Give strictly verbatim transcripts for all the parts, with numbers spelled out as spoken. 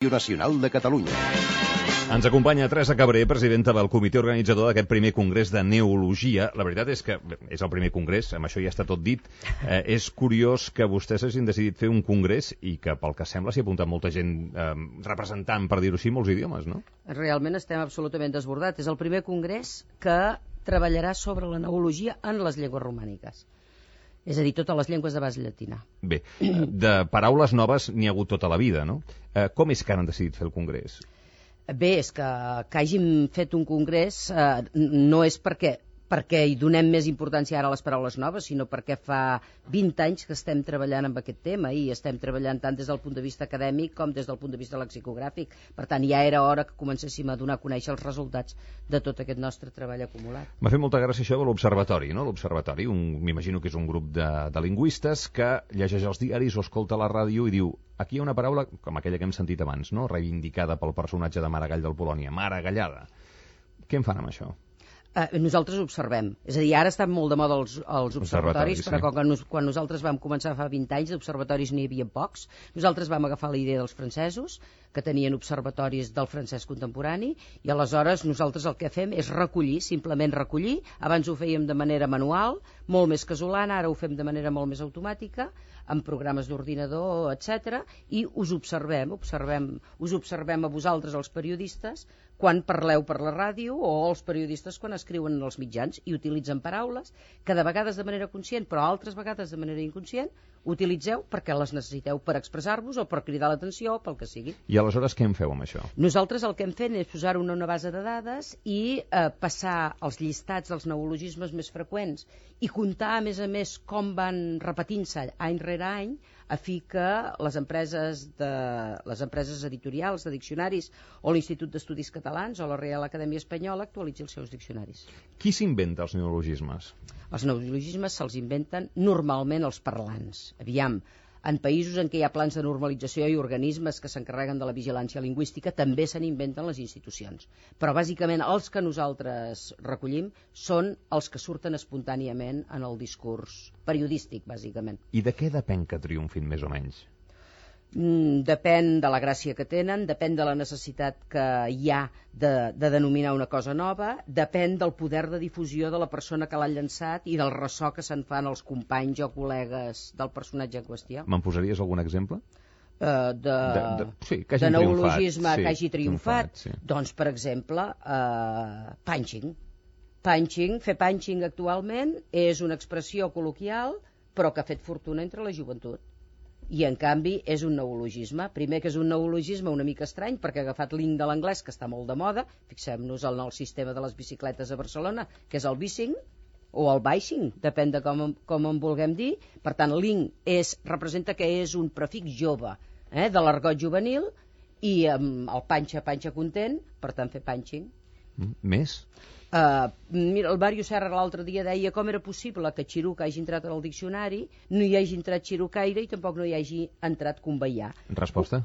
Nacional de Catalunya. Ens acompanya Teresa Cabré, presidenta del comitè organitzador d'aquest primer congrés de neologia. La veritat és que és el primer congrés, amb això ja està tot dit. Eh, és curiós que vostès hagin decidit fer un congrés i que, pel que sembla, s'hi ha apuntat molta gent eh, representant, per dir-ho així, molts idiomes, no? Realment estem absolutament desbordats. És el primer congrés que treballarà sobre la neologia en les llengües romàniques. És a dir, totes les llengües de base llatina. Bé, de paraules noves n'hi ha hagut tota la vida, no? Eh, com és que han decidit fer el congrés? Bé, és que, que hàgim fet un congrés eh, no és perquè, perquè hi donem més importància ara a les paraules noves, sinó perquè fa vint anys que estem treballant amb aquest tema i estem treballant tant des del punt de vista acadèmic com des del punt de vista lexicogràfic. Per tant, ja era hora que comencéssim a donar a conèixer els resultats de tot aquest nostre treball acumulat. M'ha fet molta gràcia això de l'Observatori, no? L'Observatori, m'imagino que és un grup de, de lingüistes que llegeix els diaris o escolta la ràdio i diu: aquí hi ha una paraula, com aquella que hem sentit abans, no? Reivindicada pel personatge de Maragall del Polònia, maragallada. Què en fan amb això? Uh, nosaltres observem. És a dir, ara estan molt de moda els, els observatoris, observatoris, però sí. quan, nos, quan nosaltres vam començar fa vint anys, d'observatoris n'hi havia pocs. Nosaltres vam agafar la idea dels francesos, que tenien observatoris del francès contemporani, i aleshores nosaltres el que fem és recollir, simplement recollir. Abans ho fèiem de manera manual, molt més casolana, ara ho fem de manera molt més automàtica, amb programes d'ordinador, etcètera, i us observem, observem, us observem a vosaltres, els periodistes, quan parleu per la ràdio, o els periodistes quan escriuen en els mitjans, i utilitzen paraules que de vegades de manera conscient, però altres vegades de manera inconscient, utilitzeu perquè les necessiteu per expressar-vos o per cridar l'atenció o pel que sigui. I aleshores què en feu amb això? Nosaltres el que hem fet és posar-ho en una base de dades i eh, passar els llistats dels neologismes més freqüents i comptar, a més a més, com van repetint-se any rere any, a fi que les empreses, de, les empreses editorials de diccionaris o l'Institut d'Estudis Catalans o la Real Acadèmia Espanyola actualitzi els seus diccionaris. Qui s'inventa els neologismes? Els neologismes se'ls inventen normalment els parlants. Aviam, en països en què hi ha plans de normalització i organismes que s'encarreguen de la vigilància lingüística també se n'inventen les institucions. Però bàsicament els que nosaltres recollim són els que surten espontàniament en el discurs periodístic, bàsicament. I de què depèn que triomfin més o menys? Mm, depèn de la gràcia que tenen, depèn de la necessitat que hi ha de, de denominar una cosa nova, depèn del poder de difusió de la persona que l'ha llançat i del ressò que se'n fan els companys o col·legues del personatge en qüestió. Me'n posaries algun exemple? Uh, de, de, de, sí, que de neologisme sí, que hagi triomfat, triomfat sí. Doncs, per exemple, uh, punching. Punching, fer punching actualment és una expressió col·loquial, però que ha fet fortuna entre la joventut. I, en canvi, és un neologisme. Primer que és un neologisme una mica estrany, perquè ha agafat l'ing de l'anglès, que està molt de moda. Fixem-nos en el sistema de les bicicletes a Barcelona, que és el bicing, o el bicing, depèn de com, com en vulguem dir. Per tant, l'ing és, representa que és un prefix jove, eh, de l'argot juvenil, i um, el panxa, panxa content, per tant, fer punching. Mm, més? Uh, mira, el Mario Serra l'altre dia deia com era possible que Xiruca hagi entrat al diccionari, no hi hagi entrat xirucaire i tampoc no hi hagi entrat conveiar. Resposta?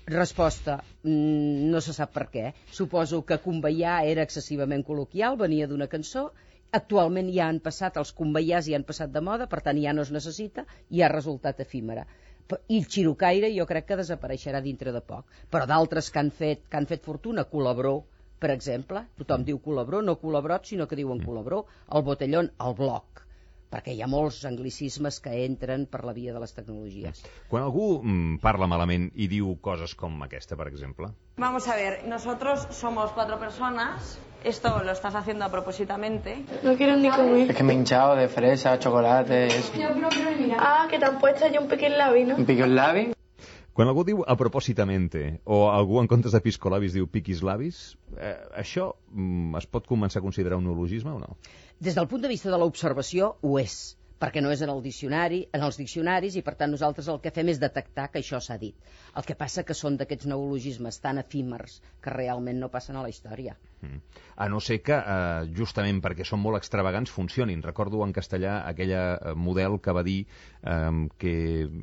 Resposta, mm, no se sap per què. Suposo que conveiar era excessivament col·loquial, venia d'una cançó. Actualment ja han passat, els conveiars ja han passat de moda, per tant ja no es necessita i ha resultat efímera. I el xirucaire jo crec que desapareixerà dintre de poc. Però d'altres que han fet, que han fet fortuna, col·labró, per exemple, tothom diu col·labró, no col·labrot, sinó que diuen col·labró, el botellón, el bloc, perquè hi ha molts anglicismes que entren per la via de les tecnologies. Quan algú mm, parla malament i diu coses com aquesta, per exemple? Vamos a ver, nosotros somos cuatro personas, esto lo estás haciendo a propósitamente. No quiero ni comer. Es que me he hinchado de fresa, chocolate, eso. Ah, que te han puesto ya un piquín labi, ¿no? ¿Un pico en labi? Quan algú diu a propòsitamente o algú en comptes de piscolabis diu piquis labis, eh, això mm, es pot començar a considerar un neologisme o no? Des del punt de vista de l'observació ho és, perquè no és en el diccionari, en els diccionaris, i per tant nosaltres el que fem és detectar que això s'ha dit. El que passa que són d'aquests neologismes tan efímers que realment no passen a la història. Mm. A no ser que, eh, justament perquè són molt extravagants, funcionin. Recordo en castellà aquell eh, model que va dir eh, que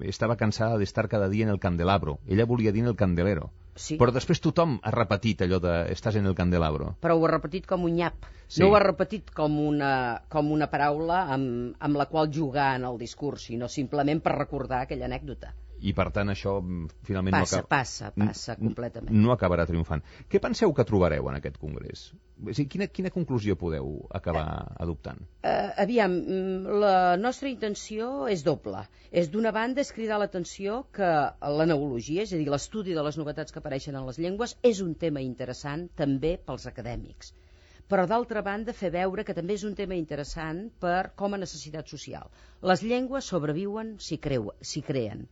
estava cansada d'estar cada dia en el candelabro. Ella volia dir en el candelero. Sí. Però després tothom ha repetit allò de estàs en el candelabro. Però ho ha repetit com un nyap. Sí. No ho ha repetit com una, com una paraula amb, amb la qual jugar en el discurs, sinó simplement per recordar aquella anècdota. I, per tant, això finalment passa, no acaba... Passa, passa, completament. No acabarà triomfant. Què penseu que trobareu en aquest congrés? O sigui, quina, quina conclusió podeu acabar adoptant? Uh, aviam, la nostra intenció és doble. És, d'una banda, és cridar l'atenció que la neologia, és a dir, l'estudi de les novetats que apareixen en les llengües, és un tema interessant també pels acadèmics. Però, d'altra banda, fer veure que també és un tema interessant per com a necessitat social. Les llengües sobreviuen si, creu, si creen.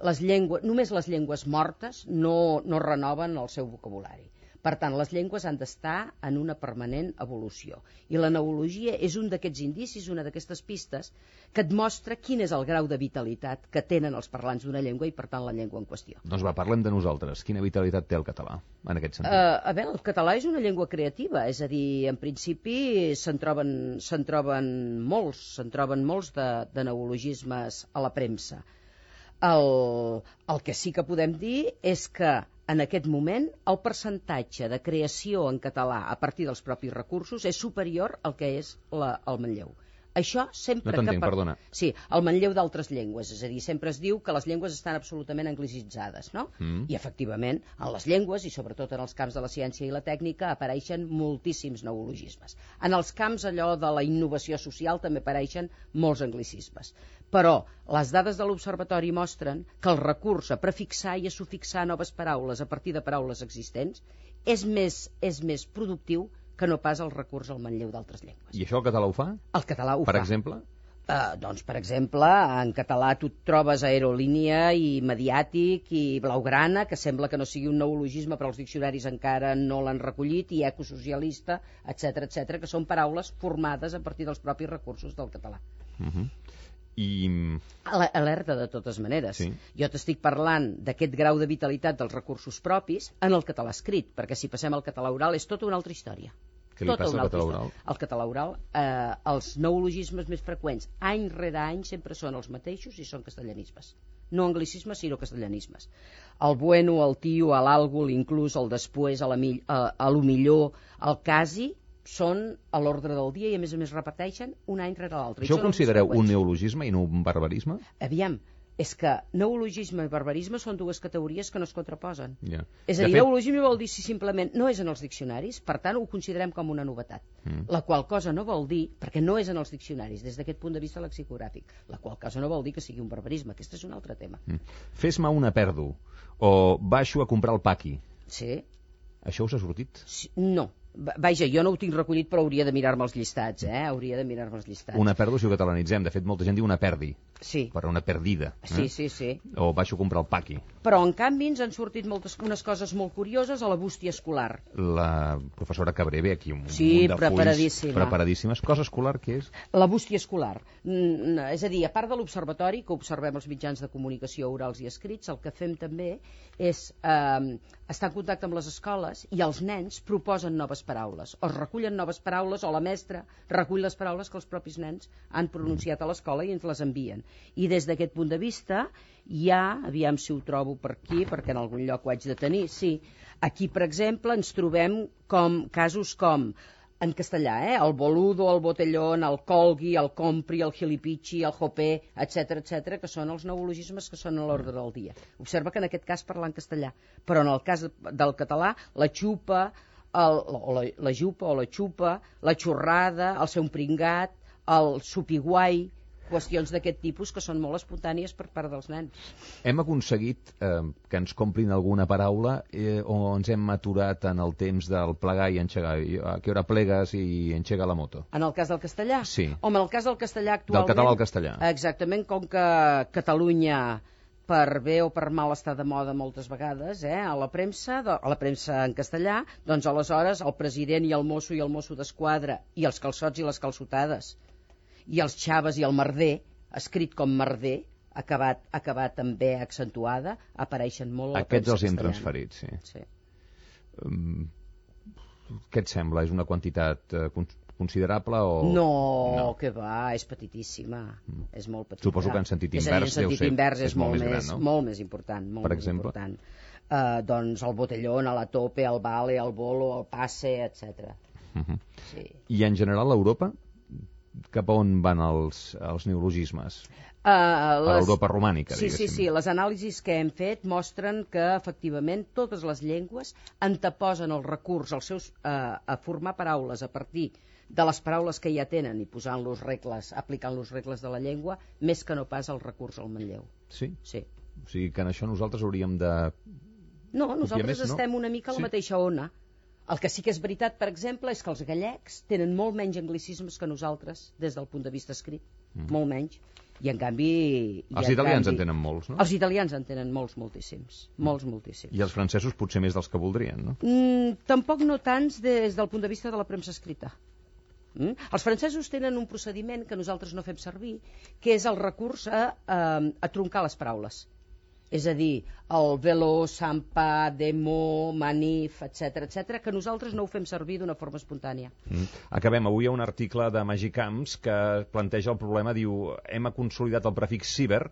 Les llengües, només les llengües mortes no, no renoven el seu vocabulari. Per tant, les llengües han d'estar en una permanent evolució. I la neologia és un d'aquests indicis, una d'aquestes pistes, que et mostra quin és el grau de vitalitat que tenen els parlants d'una llengua i, per tant, la llengua en qüestió. Doncs va, parlem de nosaltres. Quina vitalitat té el català, en aquest sentit? Uh, a veure, el català és una llengua creativa, és a dir, en principi se'n troben, se'n troben molts, se'n troben molts de, de neologismes a la premsa. El, el que sí que podem dir és que en aquest moment el percentatge de creació en català a partir dels propis recursos és superior al que és la, el Manlleu. Això sempre no t'entenc, que... Per... perdona. Sí, el Manlleu d'altres llengües, és a dir, sempre es diu que les llengües estan absolutament anglicitzades, no? Mm. I efectivament, en les llengües, i sobretot en els camps de la ciència i la tècnica, apareixen moltíssims neologismes. En els camps allò de la innovació social també apareixen molts anglicismes. Però les dades de l'Observatori mostren que el recurs a prefixar i a sufixar noves paraules a partir de paraules existents és més, és més productiu que no pas el recurs al manlleu d'altres llengües. I això el català ho fa? El català ho per fa. Per exemple? Uh, doncs, per exemple, en català tu trobes aerolínia i mediàtic i blaugrana, que sembla que no sigui un neologisme, però els diccionaris encara no l'han recollit, i ecosocialista, etcètera, etcètera, que són paraules formades a partir dels propis recursos del català. Uh -huh. I... Alerta, de totes maneres. Sí. Jo t'estic parlant d'aquest grau de vitalitat dels recursos propis en el català escrit, perquè si passem al català oral és tota una altra història. Què li tota passa al català oral? Al català oral, eh, els neologismes més freqüents, any rere any, sempre són els mateixos i són castellanismes. No anglicismes, sinó castellanismes. El bueno, el tio, l'algo, l'inclús, el després, a, la, a, a lo millor, el quasi, són a l'ordre del dia i a més a més repeteixen un any rere l'altre. Això ho considereu un neologisme i no un barbarisme? Aviam, és que neologisme i barbarisme són dues categories que no es contraposen. Yeah. És a dir, fet... neologisme vol dir si simplement no és en els diccionaris, per tant ho considerem com una novetat. Mm. La qual cosa no vol dir, perquè no és en els diccionaris des d'aquest punt de vista lexicogràfic, la qual cosa no vol dir que sigui un barbarisme. Aquest és un altre tema. Mm. Fes-me una perdo, o baixo a comprar el paqui. Sí. Això us ha sortit? Sí, no. Vaja, jo no ho tinc recollit, però hauria de mirar-me els llistats, eh? Hauria de mirar-me els llistats. Una perdo si ho catalanitzem. De fet, molta gent diu una perdi. Sí. Per una perdida. Eh? Sí, sí, sí. O baixo a comprar el paqui. Però, en canvi, ens han sortit moltes, unes coses molt curioses a la bústia escolar. La professora Cabré ve aquí un sí, munt de preparadíssima. fulls preparadíssimes. Cosa escolar, què és? La bústia escolar. Mm, és a dir, a part de l'observatori, que observem els mitjans de comunicació orals i escrits, el que fem també és eh, estar en contacte amb les escoles i els nens proposen noves paraules. O recullen noves paraules, o la mestra recull les paraules que els propis nens han pronunciat a l'escola i ens les envien. I des d'aquest punt de vista hi ha, aviam si ho trobo per aquí, perquè en algun lloc ho haig de tenir, sí, aquí, per exemple, ens trobem com casos com, en castellà, eh? El boludo, el botellón, el colgui, el compri, el gilipichi, el jopé, etcètera, etcètera, que són els neologismes que són a l'ordre del dia. Observa que en aquest cas parla en castellà, però en el cas del català, la xupa, el, o la, la jupa o la xupa, la xorrada, el ser un pringat, el supiguai, qüestions d'aquest tipus que són molt espontànies per part dels nens. Hem aconseguit eh, que ens comprin alguna paraula eh, o ens hem aturat en el temps del plegar i enxegar? A què hora plegues i enxega la moto? En el cas del castellà? Sí. Home, en el cas del castellà actualment... Del català al castellà. Exactament, com que Catalunya, per bé o per mal, està de moda moltes vegades, eh? a la premsa, de, a la premsa en castellà, doncs aleshores el president i el mosso i el mosso d'esquadra i els calçots i les calçotades i els xaves i el merder, escrit com merder, acabat, acabat també accentuada, apareixen molt a la Aquests premsa els hem castellana. transferit, sí. sí. Um, què et sembla? És una quantitat eh, considerable o... No, no, que va, és petitíssima, mm. és molt petita. Suposo que en sentit invers, és a dir, en sentit ser, invers és, és molt molt més, més, gran, no? molt més important. Molt per més exemple? important. Uh, doncs el botellón, a la tope, el vale, el bolo, el passe, etcètera. Uh -huh. Sí. I en general a Europa cap a on van els, els neologismes? Uh, A les... l'Europa romànica, sí, sí, diguéssim. sí, les anàlisis que hem fet mostren que efectivament totes les llengües anteposen el recurs als seus, uh, a formar paraules a partir de les paraules que ja tenen i posant-los regles, aplicant-los regles de la llengua, més que no pas el recurs al manlleu. Sí? Sí. O sigui que en això nosaltres hauríem de... No, nosaltres més, no? estem una mica a la Sí. mateixa ona. El que sí que és veritat, per exemple, és que els gallecs tenen molt menys anglicismes que nosaltres des del punt de vista escrit, mm. molt menys. I en canvi... I Els en italians canvi, en tenen molts, no? Els italians en tenen molts, moltíssims. Mm. Molts, moltíssims. I els francesos potser més dels que voldrien, no? Mm, tampoc no tants des del punt de vista de la premsa escrita. Mm? Els francesos tenen un procediment que nosaltres no fem servir, que és el recurs a, a, a troncar les paraules. És a dir, el velo, sampa, demo, manif, etcètera, etcètera, que nosaltres no ho fem servir d'una forma espontània. Mm. Acabem. Avui hi ha un article de Magicamps que planteja el problema, diu, hem consolidat el prefix ciber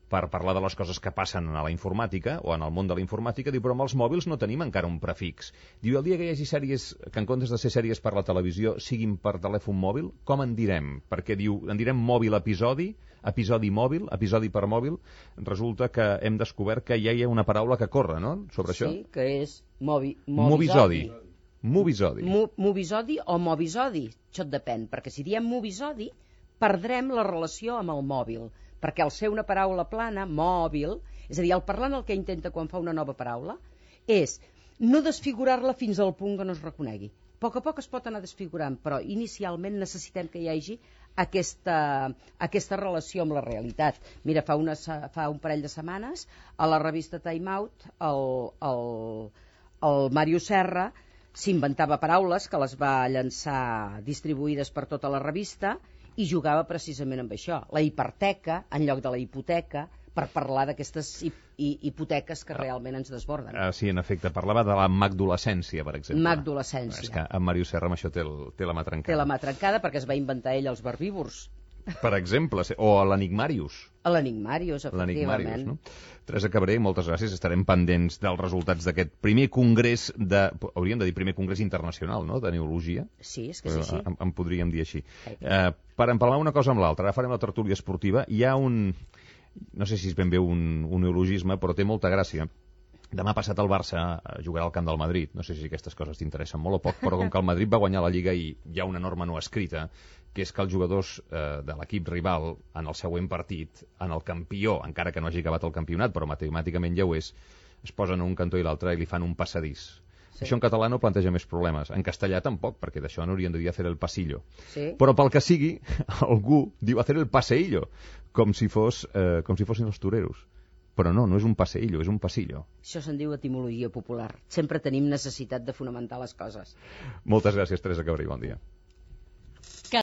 per parlar de les coses que passen a la informàtica o en el món de la informàtica, diu, però amb els mòbils no tenim encara un prefix. Diu, el dia que hi hagi sèries que en comptes de ser sèries per la televisió siguin per telèfon mòbil, com en direm? Perquè diu, en direm mòbil episodi, episodi mòbil, episodi per mòbil. Resulta que hem descobert que ja hi ha una paraula que corre, no?, sobre sí, això. Sí, que és movi, movisodi. movisodi. Movisodi. Mo, movisodi o movisodi, això et depèn, perquè si diem movisodi perdrem la relació amb el mòbil, perquè al ser una paraula plana, mòbil, és a dir, el parlant el que intenta quan fa una nova paraula és no desfigurar-la fins al punt que no es reconegui. A poc a poc es pot anar desfigurant, però inicialment necessitem que hi hagi aquesta, aquesta relació amb la realitat. Mira, fa, una, fa un parell de setmanes, a la revista Time Out, el, el, el Mario Serra s'inventava paraules que les va llançar distribuïdes per tota la revista i jugava precisament amb això, la hiperteca en lloc de la hipoteca, per parlar d'aquestes hipoteques que realment ens desborden. Ah, sí, en efecte, parlava de la magdolescència, per exemple. Magdolescència. És que en Mario Serra amb això té, el, té la mà trencada. Té la mà trencada perquè es va inventar ell els verbívors. Per exemple, o l'enigmàrius. L'enigmàrius, efectivament. L'enigmàrius, no? Teresa Cabré, moltes gràcies. Estarem pendents dels resultats d'aquest primer congrés de... Hauríem de dir primer congrés internacional, no?, de neologia. Sí, és que sí, sí. En, en podríem dir així. Eh, per empalmar una cosa amb l'altra, ara farem la tertúlia esportiva. Hi ha un... No sé si és ben bé un, un neologisme, però té molta gràcia. Demà passat el Barça jugarà al camp del Madrid. No sé si aquestes coses t'interessen molt o poc, però com que el Madrid va guanyar la Lliga i hi ha una norma no escrita, que és que els jugadors eh, de l'equip rival en el següent partit, en el campió, encara que no hagi acabat el campionat, però matemàticament ja ho és, es posen a un cantó i l'altre i li fan un passadís. Sí. Això en català no planteja més problemes. En castellà tampoc, perquè d'això n'haurien de dir hacer el pasillo. Sí. Però pel que sigui, algú diu hacer el paseillo, com si, fos, eh, com si fossin els toreros. Però no, no és un paseillo, és un pasillo. Això se'n diu etimologia popular. Sempre tenim necessitat de fonamentar les coses. Moltes gràcies, Teresa Cabré, bon dia.